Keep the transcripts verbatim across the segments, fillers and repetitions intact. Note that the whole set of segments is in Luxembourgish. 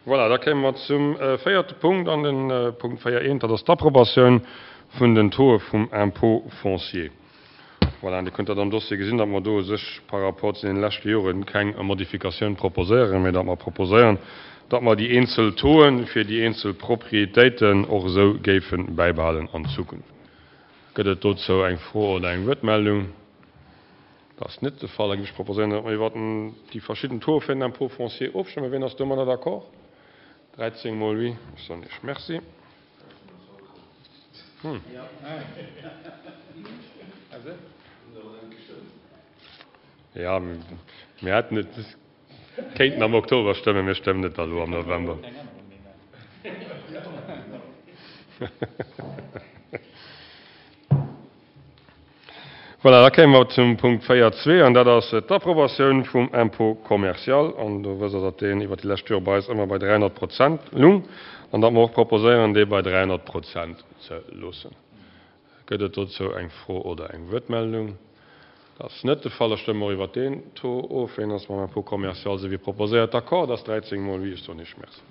Voilà, da kéime mer zum véierte Punkt, an de Punkt véier eent, dat ass d'Approbatioun vun den Tauxe vum Impôt foncier. Voilà, an Dir kënnt dat am Dossier gesinn, datt mer do u sech par rapport zu deene leschte Jore keng Modifikatioun proposéieren, mä datt mer proposéieren, datt mer déi eenzel Tauxe fir déi eenzel Propriétéiten och esou géife bäibehalen an Zukunft. Gëtt et dozou eng Fro oder eng Wuertmeldung? Dat ass net de Fall. Da géif ech proposéieren, datt mer iwwer déi verschidden Tauxe fir den Impôt foncier ofstëmmen. Wien ass domadder d'accord? dräizéng mol oui. Ech soen Iech Merci. Jo, mir hätten et kéinten am Oktober stëmmen, mir stëmmen et da lo am November. Voilà, da kéime mer zum Punkt véier zwee, an dat ass d'Approbatioun vum Impôt commercial. An do wësst Der, datt deen iwwert déi lescht Jore bei eis ëmmer bei dräihonnert Prozent lung an datt mer och proposéieren, dee bei dräihonnert Prozent ze loossen. Gëtt et dozou eng Fro oder eng Wuertmeldung? Dat ass net de Fall. Da stëmme mer och iwwert deen Taux of. Wien ass mam Impôt commercial, esou wéi proposéiert, d'accord? Dat ass dräizéng mol oui. Ech soen Iech Merci.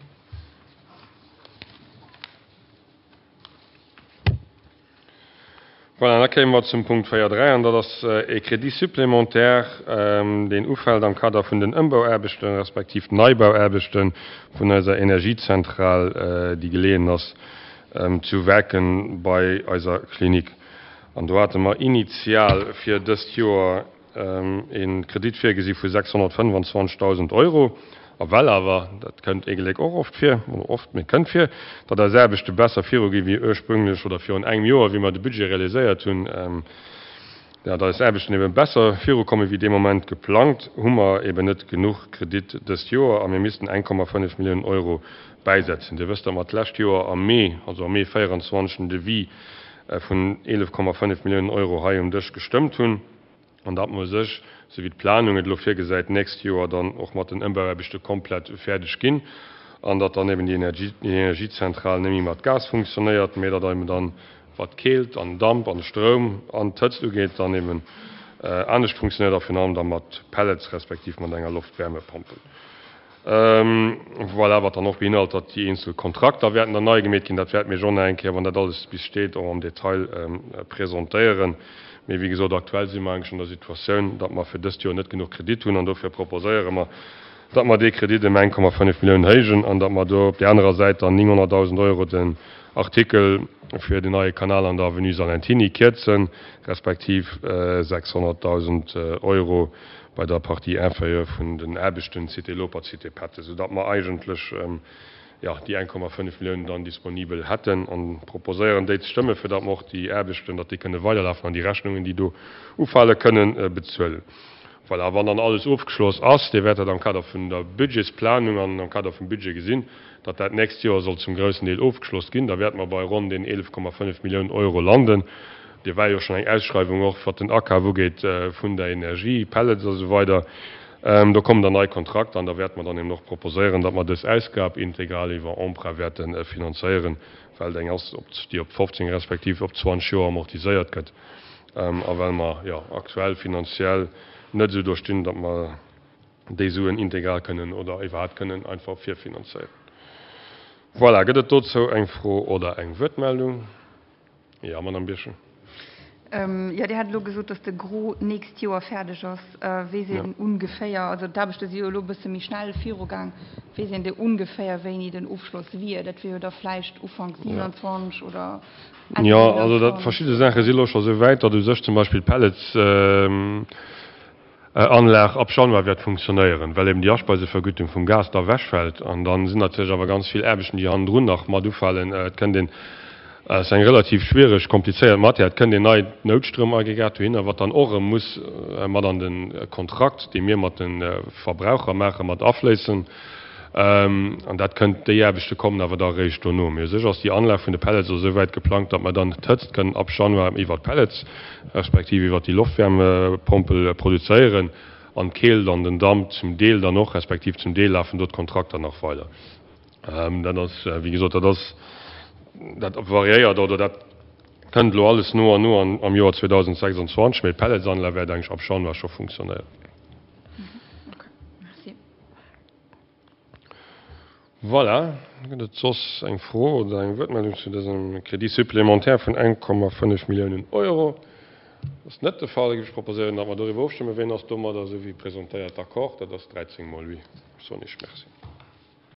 Voilà, an da kéime mer zum Punkt véier dräi, an dat ass e Crédit supplémentaire, deen ufält am Kader vun den Ëmbauaarbechten, respektiv Neibauaarbechte vun eiser Energiezentral, déi geleeën ass zu Werken bei eiser Klinik. An do hate mer initial fir dëst Joer e Kredit virgesi vu sechshonnertfënnwanzwanzegdausend Euro. A well awer, dat kënnt ee Gléck och oft vir, oder oft, mee et kënnt vir, datt eis Aarbechte besser virugi wéi ursprünglech oder virun engem Joer, wéi mer de Budget realiséiert hunn, datt eis Aarbechten ebe besser virukomme wéi dee Moment geplangt, hu mer eben net genuch Kredit dëst Joer a mir missten eng Komma fënnef Milliounen Euro bäisetzen. Dir wësst, datt mer d'lescht Joer am Mee, also am Mee véierundzwanzeg, den Devis vun eelef Komma fënnef Milliounen Euro hei um Dësch gestëmmt hunn. An datt mer u sech, esou wéi d'Planung et elo virgesäit, d'nächst Joer dann och mat den Ëmbauaarbechte komplett fäerdeg ginn an datt dann eben déi Energiezentral net méi mat Gas funktionéiert, mä datt eben dann, wat d'Keelt an den Damp an de Stroum an d'Hëtzt ugeet, dann eben anescht funktionéiert a virun allem da mat Pellets respektiv mat enger Loftwärmepompel. Voilà, wat dann och beinhalt, datt déi eenzel Kontrakter wäerten dann nei gemeet ginn. Dat wäerte mir jo nach eng Kéier, wann dat alles bis steet, och am Detail presentéieren. Mee wéi gesot, aktuell si mer eigentlech an der Situatioun, datt mer fir dëst Joer net genuch Kredit hunn an dofir proposéiere mer, datt mer dee Kredit ëm eng Komma fënnef Milliounen héijen an datt mer do op där anerer Säit dann nénghonnertdausend Euro den Artikel fir den neie Kanal an der Avenue Salentiny kierzen, respektiv sechshonnertdausend Euro bei der Partie inférieure vun den Aarbechten Cité Lopert, Cité Pette, soudatt mer eigentlech, jo, déi eng Komma fënnef Milliounen dann disponibel hätten an proposéieren, déi ze stëmmen, fir datt mer och déi Aarbechten, datt déi kënne weiderlafen an déi Rechnungen, déi do ufale kënnen, bezuelen. Voilà, a wann dann alles ofgeschloss ass, Dir wäert dat am Kader vun der Budgetsplanung an am Kader vum Budget gesinn, datt dat d'nächst Joer soll zum groussen Deel ofgeschloss ginn, da wäerte mer bei ronn den eelef Komma fënnef Milliounen Euro landen. Dir war jo schonn eng Ausschreiwung och, wat den Akaf ugeet vun der Energie, Pellets a sou weider. Do kommen dann nei Kontrakter an da wäerte mer dann eben och proposéieren, datt mer dës Ausgab integral iwwer Emprunt wäerte finanzéieren, well et eng ass, déi op fofzéng respektiv op zwanzeg Joer amortiséiert gëtt a well mer, jo, aktuell finanziell net esou do stinn, datt mer déi Suen integral kënnen oder iwwerhaapt kënnen einfach virfinanzéieren. Voilà, gëtt et dozou eng Fro oder eng Wuertmeldung? Jo, Madame Birchen. Jo, Dir hat elo gesot, dass de Gros d'nächst Joer fäerdeg ass. Weess een ongeféier, also d'Aarbechte si jo elo e bësse méi schnell virugaang, weess een de ongeféier, wéini den Ofschloss wier? Dat wier jo da vläicht Ufank siewenundzwanzeg oder Enn Jo, also dat, verschidde Saache si elo scho sou wäit, datt u sech zum Beispill d'Pellets, Anlag ab Januar wäert funktionéieren, well eben déi Aspeisevergütung vum Gas da ewechfält. An da sinn natierlech awer ganz vill Aarbechten, déi hannendrun nach mat ufalen. Et kënnt een, et ass eng relativ schwiereg, komplizéiert Matière, et kënnt een neit Noutstromaggregat dohinner, wat dann och erëm muss mat an de Kontrakt, dee mir mat de Verbraucher maachen, mat afléissen. An dat kënnt, déi Aarbechte kommen awer da eréischt dono. Mee u sech ass déi Anlag vun de Pellets elo esou wäit geplangt, datt mer dann d'Hëtzt kënnen ab Januar iwwert d'Pellets, respektiv iwwert déi Loftwärmepompel produzéieren an d'Keelt an den Damp zum Deel dann och, respektiv zum Deel lafen do d'Kontrakter nach weider. Dat ass, wéi gesot, dat ass, dat variéiert oder dat kënnt elo alles no an no am Joer zweedausendsechsundzwanzeg, mee d'Pelletsanlag wäert eigentlech ab Januar scho funktionéieren. Voilà, gëtt et soss eng Fro oder eng Wuertmeldung zu dësem Crédit supplémentaire vun eng Komma fënnef Milliounen Euro? Dat ass net de Fall. Da géif ech proposéieren, datt mer doriwwer ofstëmmen. Wien ass domadder, esou wéi presentéiert, d'accord? Dat ass dräizéng mol oui. Soen ech Merci.